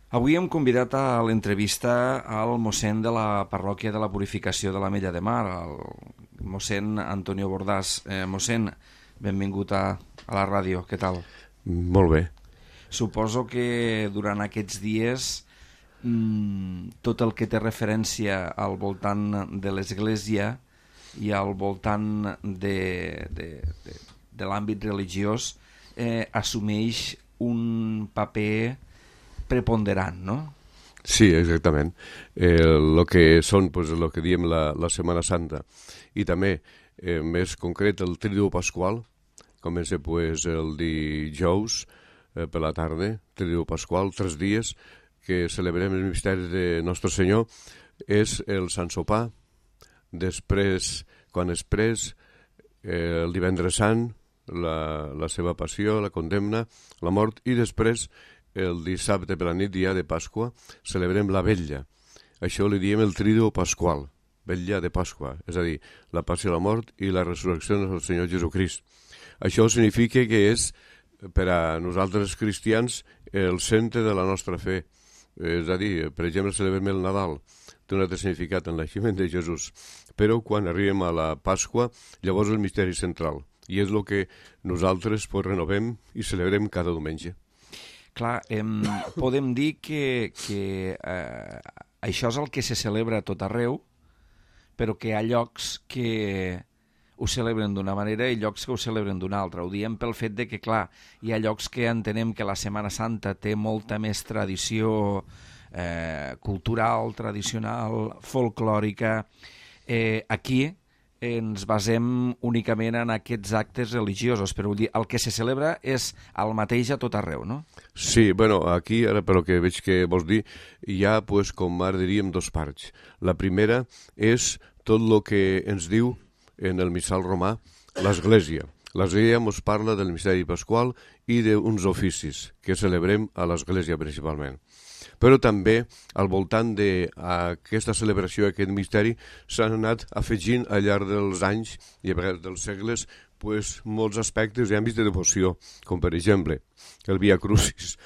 Avui hem convidat a l'entrevista al mossèn de la parròquia de la Purificació de l'Ametlla de Mar, el mossèn Antonio Bordàs. Mossèn, benvingut a la ràdio, què tal? Molt bé. Suposo que durant aquests dies tot el que té referència al voltant de l'Església i al voltant de l'àmbit religiós assumeix un paper preponderant, no? Sí, exactament. Lo que són, pues, lo que diem la Setmana Santa i també, més concret, el Triduo Pasqual. Comença pues, el dijous per la tarda, Triduo Pasqual, 3 dies que celebrem el misteri de Nostre Senyor. És el Sant Sopar, després, quan és pres, el Divendres Sant, la seva passió, la condemna, la mort, i després el dissabte per la nit, dia de Pasqua, celebrem la vetlla. Això li diem el Triduo Pasqual, vetlla de Pasqua, és a dir, la passió, la mort i la resurrecció del Senyor Jesucrist. Això significa que és, per a nosaltres cristians, el centre de la nostra fe. És a dir, per exemple, celebrem el Nadal, té un altre significat en el naixement de Jesús, però quan arribem a la Pasqua, llavors el misteri central, i és el que nosaltres renovem i celebrem cada diumenge. Clar, podem dir que això és el que se celebra a tot arreu, però que hi ha llocs que ho celebren d'una manera i llocs que ho celebren d'una altra. Ho diem pel fet de que, clar, hi ha llocs que entenem que la Setmana Santa té molta més tradició cultural, tradicional, folclòrica. Aquí ens basem únicament en aquests actes religiosos, però vull dir, el que se celebra és el mateix a tot arreu, no? Sí, bueno, aquí, ara pel que veig que vols dir, hi ha, pues, com ara diríem, dos parts. La primera és tot el que ens diu en el missal romà l'Església. L'Església ens parla del misteri pasqual i d'uns oficis que celebrem a l'Església principalment. Però també, al voltant d'aquesta celebració, aquest misteri, s'han anat afegint al llarg dels anys i a vegades dels segles pues, molts aspectes i àmbits de devoció, com per exemple el Via Crucis.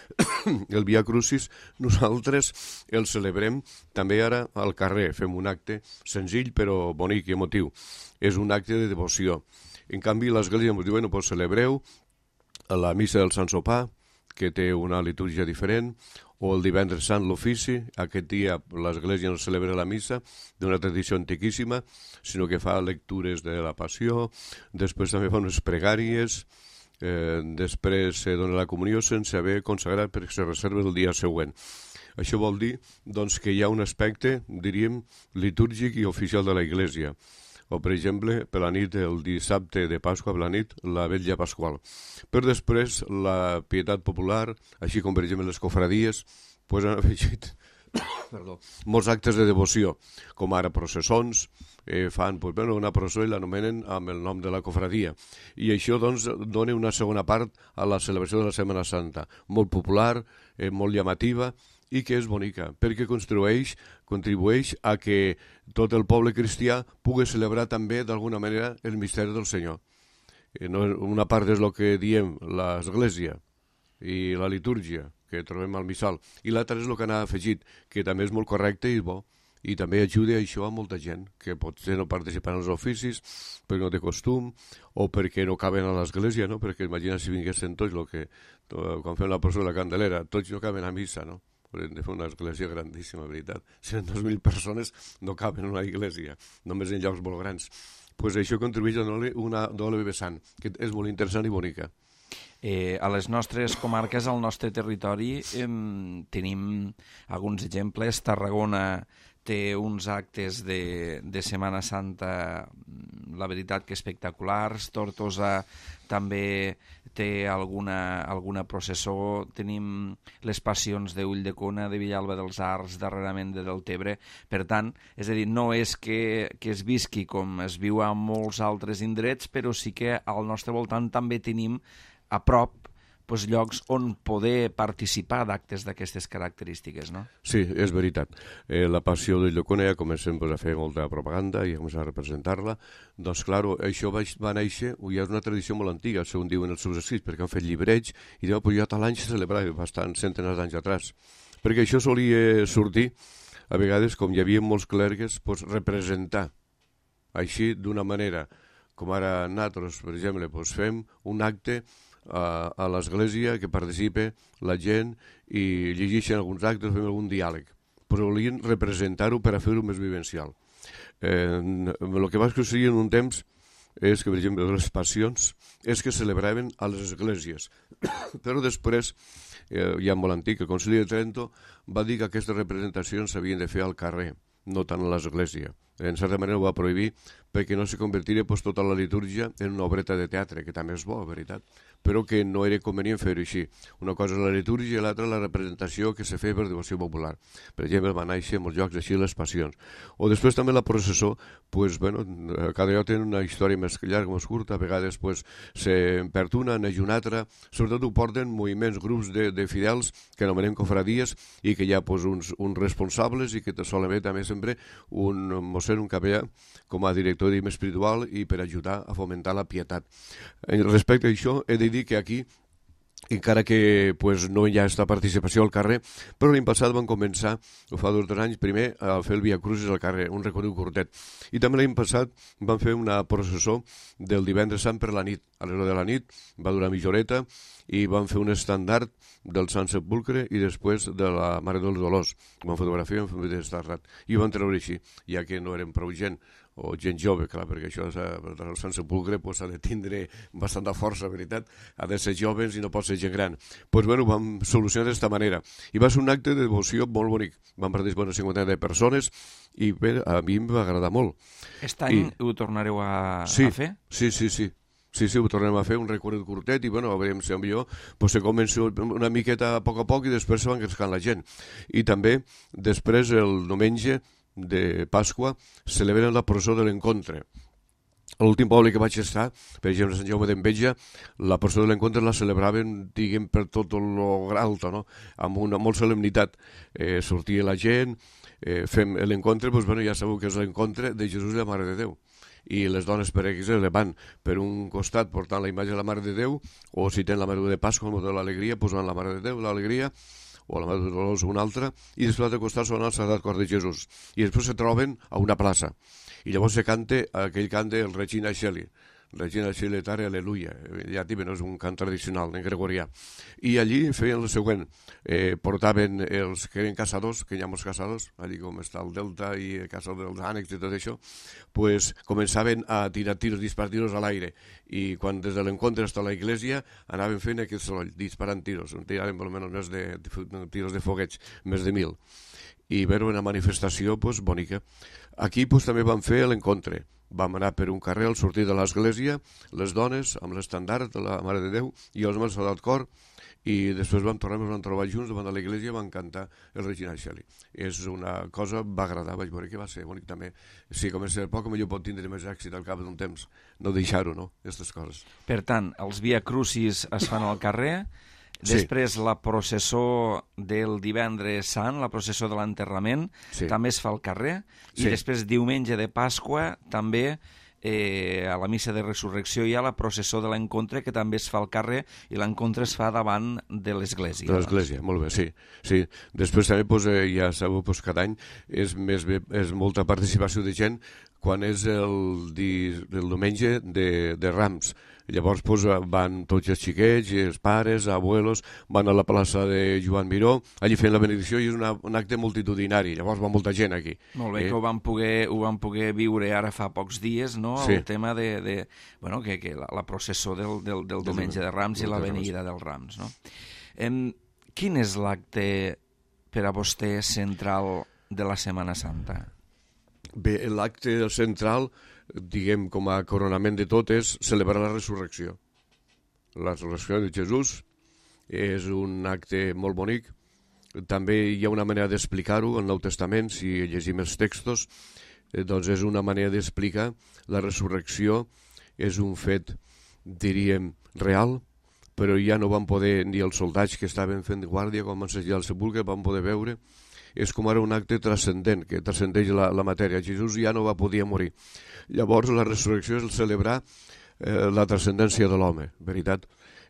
El Via Crucis nosaltres el celebrem també ara al carrer, fem un acte senzill però bonic i emotiu. És un acte de devoció. En canvi, l'Església ens diu, bueno, pues celebreu la missa del Sant Sopar, que té una litúrgia diferent, o el Divendres Sant l'ofici. Aquest dia l'Església no celebra la missa d'una tradició antiquíssima, sinó que fa lectures de la Passió, després també fa unes pregàries, després se dona la comunió sense haver consagrat perquè se reserva el dia següent. Això vol dir doncs, que hi ha un aspecte, diríem, litúrgic i oficial de la Iglésia. O, per exemple, per la nit, el dissabte de Pasqua, per la nit, la vetlla pasqual. Però després, la pietat popular, així com, per exemple, les cofradies, pues, han afegit molts actes de devoció, com ara processons, fan pues, bueno, una processó i l'anomenen amb el nom de la cofradia. I això doncs, dona una segona part a la celebració de la Setmana Santa, molt popular, molt llamativa, i que és bonica, perquè contribueix a que tot el poble cristià pugui celebrar també d'alguna manera el misteri del Senyor. Una part és el que diem l'Església i la litúrgia que trobem al missal, i l'altra és el que n'ha afegit, que també és molt correcte i bo, i també ajuda això a molta gent que potser no participa en els oficis perquè no té costum o perquè no caben a l'església, no? Perquè imagina si vinguessin tots, quan fem la processó de la Candelera, tots no caben a missa, no? Hem de fer una església grandíssima, veritat. Si eren 2.000 persones no caben en una església, només en llocs molt grans. Pues això contribueix a donar-li una doble vessant, que és molt interessant i bonica. A les nostres comarques, al nostre territori, tenim alguns exemples. Tarragona té uns actes de Setmana Santa, la veritat que espectaculars. Tortosa també té alguna processó. Tenim les passions d'Ulldecona, de Villalba dels Arcs, darrerament de Deltebre. Per tant, és a dir, no és que es visqui com es viu a molts altres indrets, però sí que al nostre voltant també tenim a prop doncs, llocs on poder participar d'actes d'aquestes característiques, no? Sí, és veritat. La passió de Llacuna ja comencem a fer molta propaganda i a començar a representar-la. Doncs, clar, això va néixer, ja és una tradició molt antiga, segons diuen els seus escrits, perquè han fet llibreig i diuen, ja tal any se celebrava, bastant centenars d'anys atrás. perquè això solia sortir, a vegades, com hi havia molts clergues, doncs, representar així d'una manera, com ara nosaltres, per exemple, doncs, fem un acte a l'església que participa la gent i llegeixen alguns actes, fem algun diàleg, però volien representar-ho per a fer-ho més vivencial. El que va succeir en un temps és que, per exemple, les passions és que celebraven a les esglésies, però després, ja molt antic, el Concili de Trento va dir que aquestes representacions s'havien de fer al carrer, no tant a l'església. En certa manera ho va prohibir perquè no se convertiria pues, tota la litúrgia en una obreta de teatre, que també és bo, veritat, però que no era convenient fer-ho així. Una cosa és la litúrgia i l'altra la representació que se feia per devoció popular. Per exemple, van néixer en molts llocs així les passions. O després també la processó, pues, bueno, cada lloc té una història més llarga, més curta, a vegades pues, se perd una, neix una altra, sobretot ho porten moviments, grups de fidels que anomenem cofradies i que hi ha pues, uns responsables i que solen haver també sempre un mossèn, un capellà, com a director espiritual i per ajudar a fomentar la pietat. Respecte a això, he de dir que aquí, encara que pues, no hi ha aquesta participació al carrer, però l'any passat van començar, fa 2 anys, primer a fer el Via Crucis al carrer, un recorregut curtet. I també l'any passat van fer una processó del divendres sant per la nit. A l'hora de la nit va durar mitja horeta i van fer un estandard del Sant Sepulcre i després de la Mare dels Dolors. Van fotografiar, van fer un estandard. I ho van treure així, ja que no eren prou gent, o gent jove, clar, perquè això el Sant Sepulcre pues, ha de tindre bastanta força, veritat, ha de ser joves i no pot ser gent gran. Doncs bueno, vam solucionar d'aquesta manera. I va ser un acte de devoció molt bonic. Van participar una cinquantena de persones i bé, a mi em va agradar molt. Aquest any ho tornareu a fer? Sí, ho tornem a fer, un recorregut curtet i, bueno, a veure si millor pues, se comença una miqueta a poc i després se va engrescant la gent. I també, després, el diumenge de Pasqua, celebren la processó de l'encontre. A l'últim poble que vaig estar, per exemple, Sant Jaume d'Enveja, la processó de l'encontre la celebraven, diguem, per tot lo alto, no? Amb una molt solemnitat. Sortia la gent, fem l'encontre, doncs, bueno, ja sabeu que és l'encontre de Jesús i la Mare de Déu. I les dones per exemple van per un costat portant la imatge de la Mare de Déu, o si tenen la Mare de Pasqua, el motiu de l'alegria, doncs van la Mare de Déu, l'alegria, o la Mare de Dolors una altra, i després a l'altre costat són el Sagrat Cor de Jesús. I després se troben a una plaça. I llavors se canta aquell cant del Regina Coeli. Regina Coeli Tare, aleluia. Ja també no és un cant tradicional, en gregorià. I allí feien el següent. Portaven els que eren caçadors, que hi ha molts caçadors, allí com està el Delta i el caçador dels ànecs i tot això, pues començaven a tirar tiros, disparar tiros a l'aire. I quan des de l'encontre fins a la iglesia anaven fent aquest soroll, disparant tiros. Tiraven almenys més de tiros de fogueig, més de 1.000. I veure una manifestació pues, bonica. Aquí pues, també van fer l'encontre. Vam anar per un carrer al sortir de l'església, les dones amb l'estandard de la Mare de Déu i els homes Sagrat Cor, i després vam tornar, ens vam trobar junts davant de l'església i vam cantar el Regina Coeli. És una cosa, va agradar, vaig veure que va ser bonic també. Si comença a poc, millor pot tindre més èxit al cap d'un temps, no deixar-ho, no?, aquestes coses. Per tant, els Via Crucis es fan al carrer. Després la processó del divendres sant, la processó de l'enterrament, també es fa al carrer. I després diumenge de Pasqua també a la missa de resurrecció hi ha la processó de l'encontre que també es fa al carrer i l'encontre es fa davant de l'església. De l'església, molt bé, sí. Després també ja sabeu cada any és molta participació de gent quan és el diumenge de Rams. Llavors van tots els xiquets, els pares, abuelos, van a la plaça de Joan Miró, allí fent la benedicció i és un acte multitudinari, llavors va molta gent aquí. Molt bé, que ho van poder viure ara fa pocs dies, no?, el tema de que la processó del diumenge de Rams i la venida dels Rams, no? Quin és l'acte per a vostè central de la Setmana Santa? Bé, l'acte central, diguem, com a coronament de tot, és celebrar la resurrecció. La resurrecció de Jesús és un acte molt bonic. També hi ha una manera d'explicar-ho al Nou Testament, si llegim els textos, doncs és una manera d'explicar la resurrecció, és un fet, diríem, real, però ja no van poder, ni els soldats que estaven fent guàrdia quan van assajar el sepulcre, van poder veure. És com ara un acte transcendent, que transcendeix la matèria. Jesús ja no va poder morir. Llavors la resurrecció és celebrar la transcendència de l'home, veritat?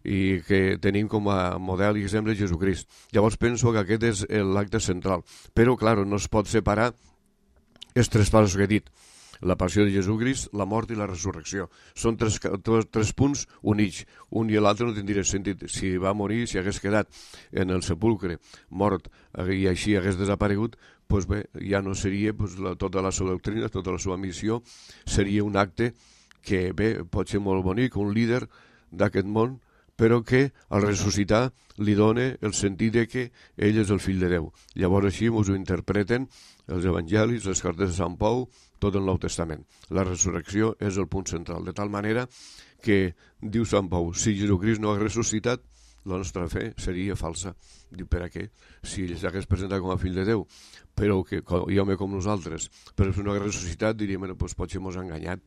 i que tenim com a model i exemple Jesucrist. Llavors penso que aquest és l'acte central. Però, clar, no es pot separar els tres passos que he dit. La passió de Jesucrist, la mort i la resurrecció. Són tres punts units. Un i l'altre no tindria sentit. Si va morir, si hagués quedat en el sepulcre mort i així hagués desaparegut, doncs bé, ja no seria tota la seva doctrina, tota la seva missió, seria un acte que bé, pot ser molt bonic, un líder d'aquest món, però que al ressuscitar li dona el sentit de que ell és el fill de Déu. Llavors així ens ho interpreten els evangelis, les cartes de Sant Pau, tot el Nou Testament. La resurrecció és el punt central, de tal manera que, diu Sant Pau, si Jesucrist no hagués ressuscitat, la nostra fe seria falsa. Diu, per a què? Si ell s'hagués presentat com a fill de Déu, però que i home com nosaltres, però si no hagués ressuscitat diríem, doncs potser mos ha enganyat.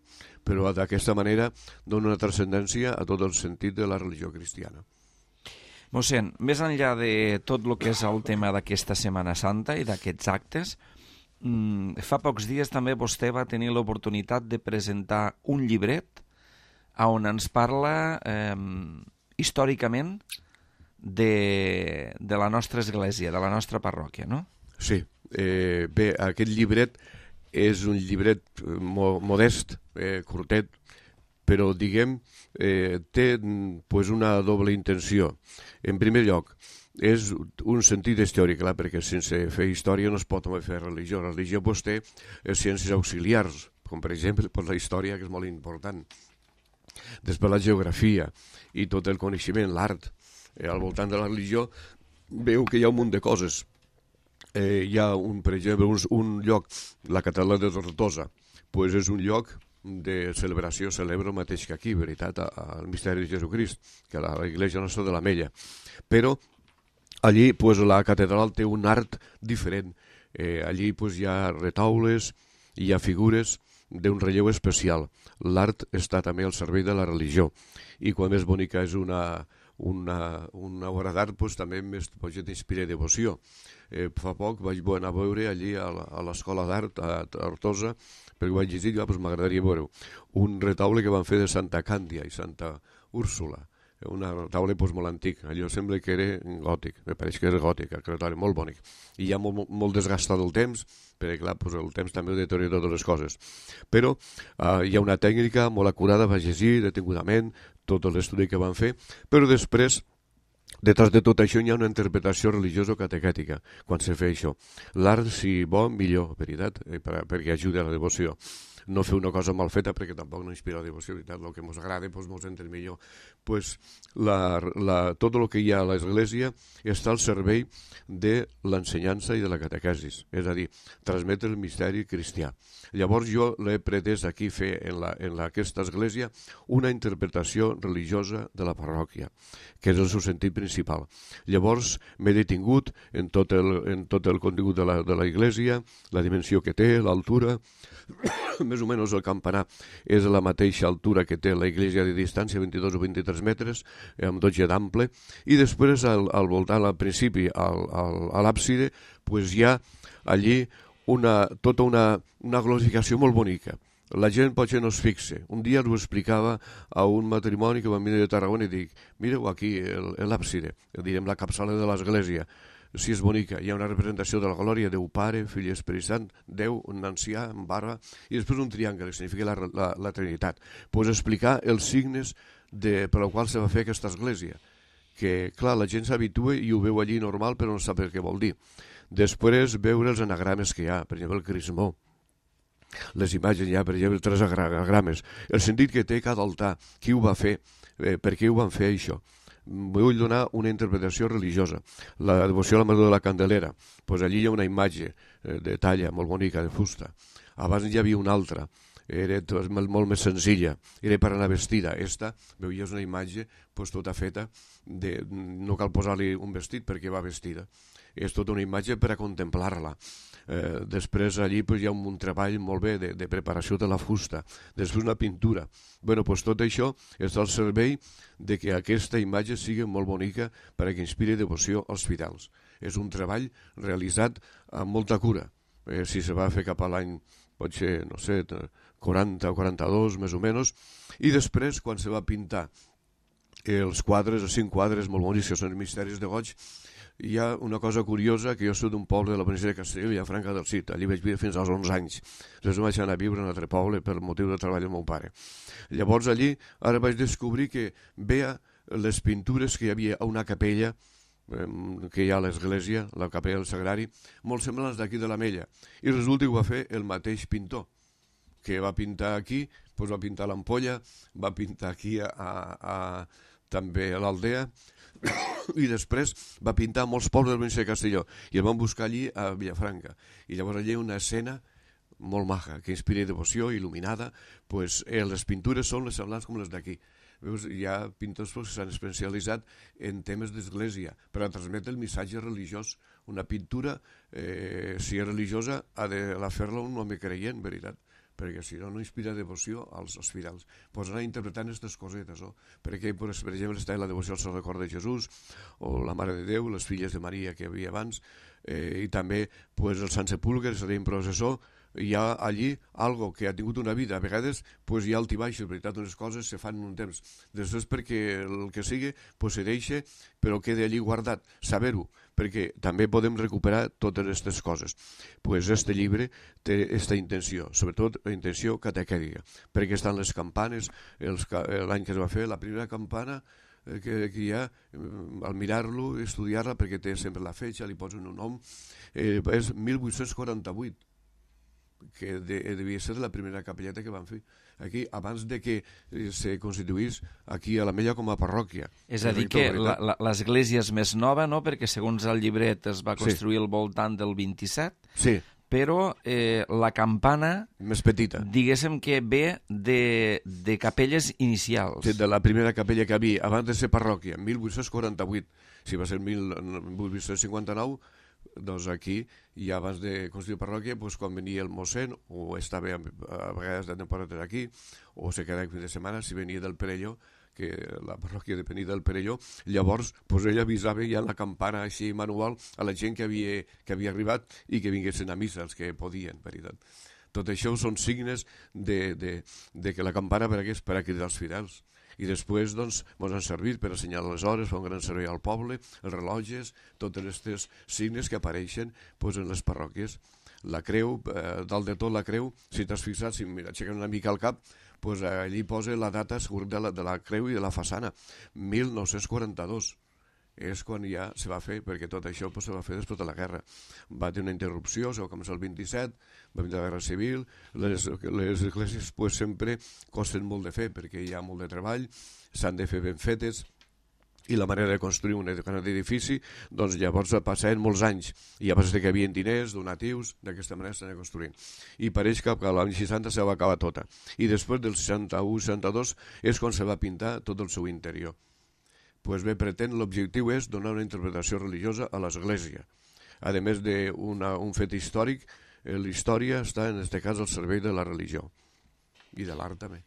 Però d'aquesta manera dona una transcendència a tot el sentit de la religió cristiana. Mossèn, més enllà de tot el que és el tema d'aquesta Setmana Santa i d'aquests actes, fa pocs dies també vostè va tenir l'oportunitat de presentar un llibret on ens parla històricament de la nostra església, de la nostra parròquia, no? Sí. Bé, aquest llibret és un llibret modest, curtet, però, diguem, té una doble intenció. En primer lloc, és un sentit històric, clar, perquè sense fer història no es pot fer religió. La religió té ciències auxiliars, com per exemple la història, que és molt important. Després la geografia i tot el coneixement, l'art. Al voltant de la religió veu que hi ha un munt de coses. Hi ha, per exemple, un lloc, la catedral de Tortosa, és un lloc de celebració, celebra el mateix que aquí, veritat, el misteri de Jesucrist, que la Iglesia Nostra de l'Ametlla. Però allí la catedral té un art diferent. Allí hi ha retaules, hi ha figures d'un relleu especial. L'art està també al servei de la religió. I quan més bonica és una obra d'art, també més t'inspira devoció. Fa poc vaig anar a veure allí a l'Escola d'Art a Tortosa, perquè ho vaig llegir i m'agradaria veure un retaule que van fer de Santa Càndia i Santa Úrsula, un retaule molt antic. Allò sembla que era gòtic, me pareix que era gòtic, el retaule, molt bonic. I ja molt desgastat el temps, perquè clar, el temps també ho deteriora totes les coses. Però hi ha una tècnica molt acurada, vaig llegir detingudament tot l'estudi que van fer, però després, detrás de tot això hi ha una interpretació religiosa o catequètica quan se fa això. L'art, si bo, millor, veritat, perquè ajuda a la devoció. No fer una cosa mal feta perquè tampoc no inspira la devoció, veritat, el que ens agrada ens entén millor. Tot el que hi ha a l'Església està al servei de l'ensenyança i de la catequesis, és a dir, transmetre el misteri cristià. Llavors jo l'he pretès aquí fer en aquesta església una interpretació religiosa de la parròquia, que és el seu sentit principal. Llavors m'he detingut en tot el contingut de la església, la dimensió que té, l'altura, més o menys el campanar és a la mateixa altura que té la església de distància, 22 o 23 metres, amb 12 d'ample, i després al voltant, al principi, a l'àpside, hi ha allí tota una glorificació molt bonica. La gent potser no es fixa. Un dia ho explicava a un matrimoni que van venir de Tarragona i dic, mireu aquí l'àpside, direm la capçala de l'església, si és bonica, hi ha una representació de la glòria, Déu Pare, Fill i Esperit Sant, Déu, un ancià, en barba, i després un triangle, que significa la Trinitat. Explicar els signes per als quals se va fer aquesta església, que, clar, la gent s'habitua i ho veu allí normal, però no sap el que vol dir. Després, veure els anagrames que hi ha, per exemple, el crismó, les imatges hi ha, per exemple, 3 anagrames, el sentit que té cada altar, qui ho va fer, per què ho van fer això. Vull donar una interpretació religiosa. La devoció a la Mare de la Candelera, allí hi ha una imatge de talla molt bonica, de fusta. Abans hi havia una altra, era molt més senzilla, era per anar vestida. Esta, veies una imatge tota feta, no cal posar-li un vestit perquè va vestida. És tota una imatge per a contemplar-la. Després allí hi ha un treball molt bé de preparació de la fusta, després una pintura. Tot això està al servei de que aquesta imatge sigui molt bonica per a que inspiri devoció als fidels. És un treball realitzat amb molta cura. Si se va fer cap a l'any, potser, no sé, 40 o 42, més o menys, i després, quan se va pintar els quadres, els 5 quadres molt bonics, que són els misteris de goig. Hi ha una cosa curiosa, que jo soc d'un poble de la província de Castelló, Vilafranca del Cid. Allí vaig viure fins als 11 anys. Després vaig anar a viure en un altre poble per motiu de treball del meu pare. Llavors allí, ara vaig descobrir que veia les pintures que hi havia a una capella que hi ha a l'església, la capella del Sagrari, molt semblants d'aquí de l'Ametlla. I resulta que ho va fer el mateix pintor, que va pintar aquí, doncs va pintar l'Ampolla, va pintar aquí també a l'Aldea, i després va pintar molts pobles de la província de Castelló, i el van buscar allí a Vilafranca. I llavors allí hi ha una escena molt maja, que inspira devoció, il·luminada, pues, les pintures són les semblants com les d'aquí. Veus, hi ha pintors que s'han especialitzat en temes d'església per a transmetre el missatge religiós. Una pintura, si és religiosa, ha de fer-la un home creient, veritat, perquè si no, no inspira devoció als fidels. Pots anar interpretant aquestes cosetes, no? Perquè, per exemple, està la devoció al Sant Record de Jesús, o la Mare de Déu, les filles de Maria que hi havia abans, i també pues, el Sant Sepulcre, seria un processó. Hi ha allí algo que ha tingut una vida, a vegades pues, hi ha altibaixos, veritat, unes coses se fan en un temps, després perquè el que sigui pues, se deixa, però queda allí guardat, saber-ho, perquè també podem recuperar totes aquestes coses. Pues este llibre té aquesta intenció, sobretot la intenció catequètica, perquè estan les campanes, l'any que es va fer, la primera campana que hi ha, al mirar-lo, estudiar-la, perquè té sempre la fetge, li posen un nom, és 1848, que devia ser la primera capelleta que van fer aquí, abans de que se constituís aquí a l'Ametlla com a parròquia. És a dir, que l'església és més nova, no?, perquè segons el llibret es va construir al voltant del 27, sí, però la campana, més petita, diguéssim que ve de capelles inicials. Sí, de la primera capella que hi havia abans de ser parròquia, 1848. Si va ser 1859, doncs aquí, i abans de construir parròquia, doncs quan venia el mossèn, o estava a vegades de temporada aquí, o se quedava fin de setmana, si venia del Perelló, que la parròquia depenia del Perelló, llavors doncs ell avisava ja la campana així manual a la gent que havia arribat i que vinguessin a missa, els que podien, veritat. Tot això són signes de que la campana hagués per a cridar els fidels. I després doncs, ens han servit per assenyalar les hores, fer un gran servei al poble, els rellotges, tots aquests signes que apareixen doncs, en les parròquies. La creu, dalt de tot la creu, si t'has fixat, si aixequen una mica el cap, doncs allí posa la data de la creu i de la façana, 1942. És quan ja se va fer, perquè tot això se va fer després de la guerra. Va tenir una interrupció, se va començar el 27, va venir la guerra civil, les esglésies sempre costen molt de fer, perquè hi ha molt de treball, s'han de fer ben fetes, i la manera de construir un gran edifici, doncs llavors passaven molts anys, i llavors que hi havia diners, donatius, d'aquesta manera s'han de construir. I pareix que a l'any 60 se va acabar tota. I després del 61-62 és quan se va pintar tot el seu interior. Pues bé, l'objectiu és donar una interpretació religiosa a l'Església. A més d'un fet històric, la història està, en aquest cas, al servei de la religió. I de l'art, també.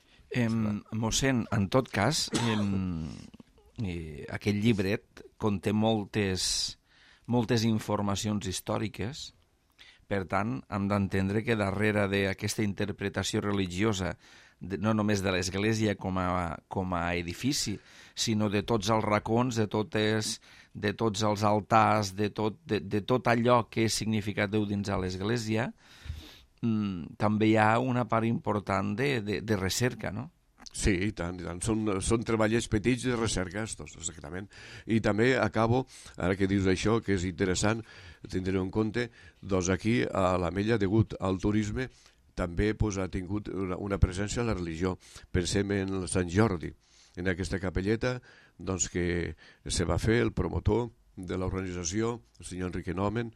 Mossèn, en tot cas, aquest llibret conté moltes informacions històriques. Per tant, hem d'entendre que darrere d'aquesta interpretació religiosa, no només de l'Església com a edifici, sinó de tots els racons, de tots els altars, de tot allò que és significat Déu dins a l'Església, també hi ha una part important de recerca, no? Sí, i tant, i tant. Són treballets petits de recerca, estos, exactament. I també acabo, ara que dius això, que és interessant, tindreu en compte, doncs aquí a l'Ametlla, degut al turisme, també ha tingut una presència a la religió. Pensem en el Sant Jordi, en aquesta capelleta doncs, que se va fer el promotor de l'organització, el senyor Enrique Nomen,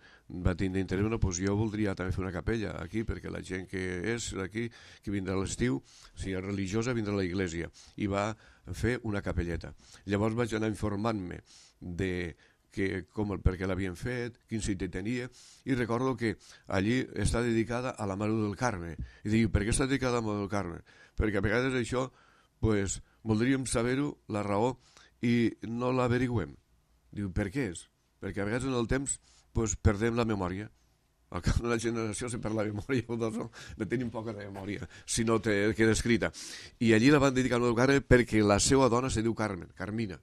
va tindre interès, doncs jo voldria també fer una capella aquí, perquè la gent que és d'aquí, que vindrà a l'estiu, si és religiosa, vindrà a la iglesia, i va fer una capelleta. Llavors vaig anar informant-me de per què l'havien fet, quin sentit tenia, i recordo que allí està dedicada a la Mare del Carme. I dic, per què està dedicada a la Mare del Carme? Perquè a vegades això, pues, voldríem saber-ho, la raó, i no l'averiguem. Diu, per què és? Perquè a vegades en el temps pues, perdem la memòria. al cap d'una generació se perd la memòria, no tenim poca de memòria, si no te queda escrita. I allí la van dedicar al Moro del Carme perquè la seva dona se diu Carmen, Carmina,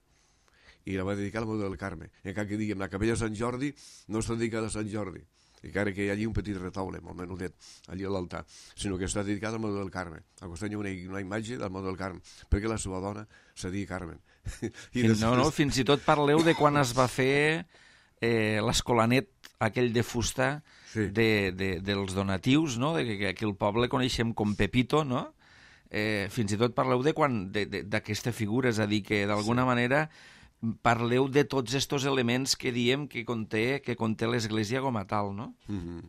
i la va dedicar al Moro del Carme. Encara que diguem, la capella de Sant Jordi no està dedicada a Sant Jordi, encara que hi ha allí un petit retaule, molt menudet, allí a l'altar, sinó que està dedicat al Moro del Carme. Al costat hi ha una imatge del Moro del Carme, perquè la seva dona se digui Carmen. No, fins i tot parleu de quan es va fer l'escolanet aquell de fusta dels donatius, no? Que aquí al poble coneixem com Pepito, no? Fins i tot parleu d'aquesta figura, és a dir, que d'alguna manera parleu de tots estos elements que diem que conté l'Església com a tal, no?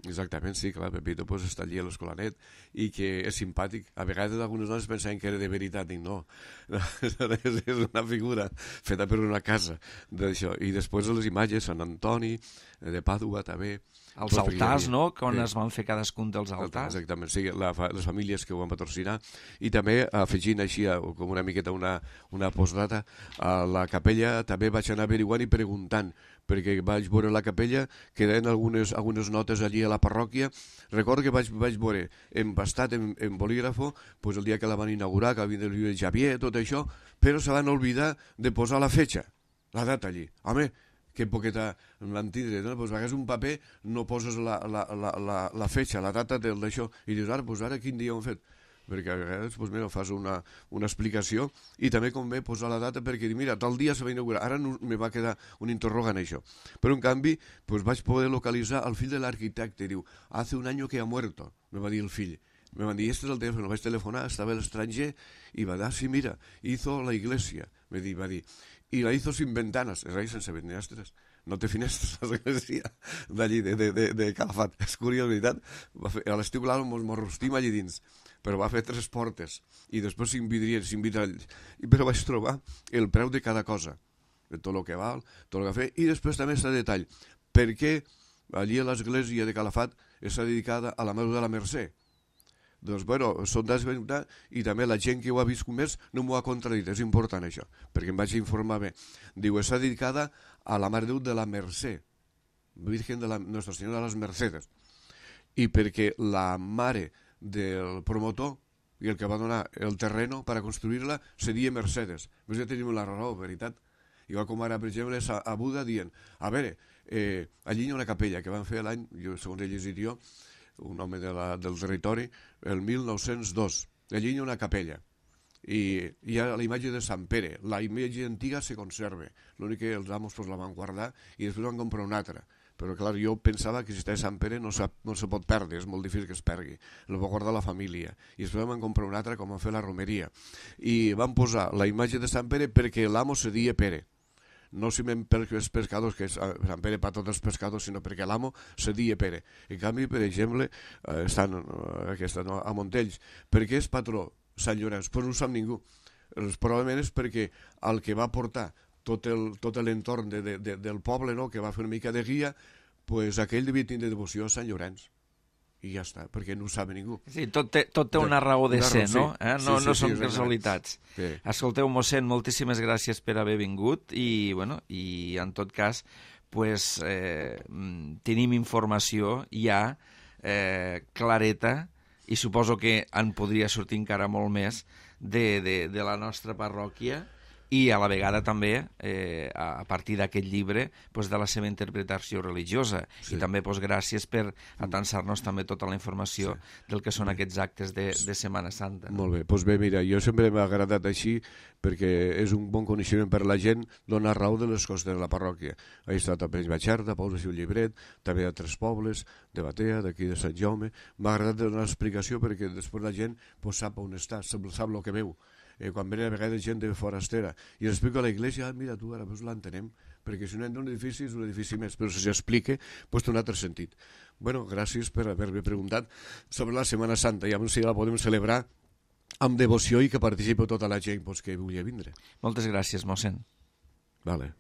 Exactament, sí, clar, Pepito pues, està allí a l'escolanet i que és simpàtic. A vegades algunes dones pensaven que era de veritat, i no. És una figura feta per una casa d'això. I després les imatges, Sant Antoni, de Pàdua també. Els altars, no?, quan es van fer cadascun dels altars. Exactament, sí, les famílies que ho van patrocinar. I també, afegint així com una miqueta una postdata, a la capella també vaig anar averiguant i preguntant, perquè vaig veure la capella, quedaven algunes notes allí a la parròquia. Recordo que vaig veure empastat en bolígrafo pues, el dia que la van inaugurar, que havia de Xavier, tot això, però se van oblidar de posar la fetxa, la data allí. Home, que poqueta l'antidre, no? Pues agaves un paper, no poses la fetxa, la data d'això, i dius, ara quin dia ho hem fet? Perquè a vegades pues, mira, fas una explicació i també convé posar la data perquè mira, tal dia se va inaugurar, ara no, me va quedar un interrogant això. Però en canvi pues, vaig poder localitzar el fill de l'arquitecte, diu, hace un año que ha muerto, me va dir el fill. Me van dir, este es el teléfono, vaig telefonar, estava a l'estranger i va dir, sí, mira, hizo la iglesia, va dir, i la hizo sin ventanas, és a dir, sense finestres. No té finestres l'església d'allí, de Calafat. És curiós, veritat. A l'estiu, clar, mos rostim allí dins, però va fer 3 portes i després s'invidrien. Però vaig trobar el preu de cada cosa, de tot el que val, tot el que fa, i després també està detall, perquè allí a l'església de Calafat està dedicada a la Mare de la Mercè. Doncs, bueno, són desventat i també la gent que ho ha vist més no m'ho ha contradit, és important això, perquè em vaig informar bé. Diu, està dedicada a la Mare de Déu de la Mercè, Virgen de la Nostra Senyora de les Mercedes, i perquè la mare del promotor i el que va donar el terreno per a construir-la seria Mercedes. Doncs ja tenim la raó, veritat. Igual com ara, per exemple, a Buda dient, a veure, allí hi ha una capella que van fer l'any, segons he llegit jo, un home del territori, el 1902. Allí hi ha una capella i hi ha la imatge de Sant Pere. La imatge antiga se conserva, l'únic que els amos pues, la van guardar i després van comprar una altra. Però clar, jo pensava que si està Sant Pere no se pot perdre, és molt difícil que es perdi. La va guardar la família. I després van comprar una altra com van fer la romeria. I van posar la imatge de Sant Pere perquè l'amo se dia Pere. No simplement perquè els pescadors, que és Sant Pere per tots els pescadors, sinó perquè l'amo se dia Pere. En canvi, per exemple, estan a Montells. Per què és patró Sant Llorenç? Pues no ho sap ningú. Probablement és perquè el que va portar tot l'entorn del poble, no? Que va fer una mica de guia, pues aquell devia tindre devoció a Sant Llorenç. I ja està, perquè no ho sap ningú. Sí, tot té una raó de ser, no? No són casualitats. Sí. Escolteu, mossèn, moltíssimes gràcies per haver vingut i en tot cas pues, tenim informació ja clareta i suposo que en podria sortir encara molt més de la nostra parròquia i a la vegada també, a partir d'aquest llibre, pues, de la seva interpretació religiosa. Sí. I també pues, gràcies per atansar-nos també tota la informació del que són aquests actes de Setmana Santa. Molt bé, doncs bé, mira, jo sempre m'ha agradat així perquè és un bon coneixement per la gent donar raó de les coses de la parròquia. He estat a Peix-Batxarda, Pous de Llibret, també a 3 pobles, de Batea, d'aquí de Sant Jaume. M'ha agradat donar explicació perquè després la gent pues, sap on està, sap el que veu. Quan venen a vegades gent de forastera i explico a la iglesia, mira tu, ara pues l'entenem, perquè si no entra un edifici és un edifici més, però si s'explica, pues té un altre sentit. Bueno, gràcies per haver-me preguntat sobre la Setmana Santa, i si la podem celebrar amb devoció i que participi tota la gent pues, que vulgui vindre. Moltes gràcies, mossèn. Vale.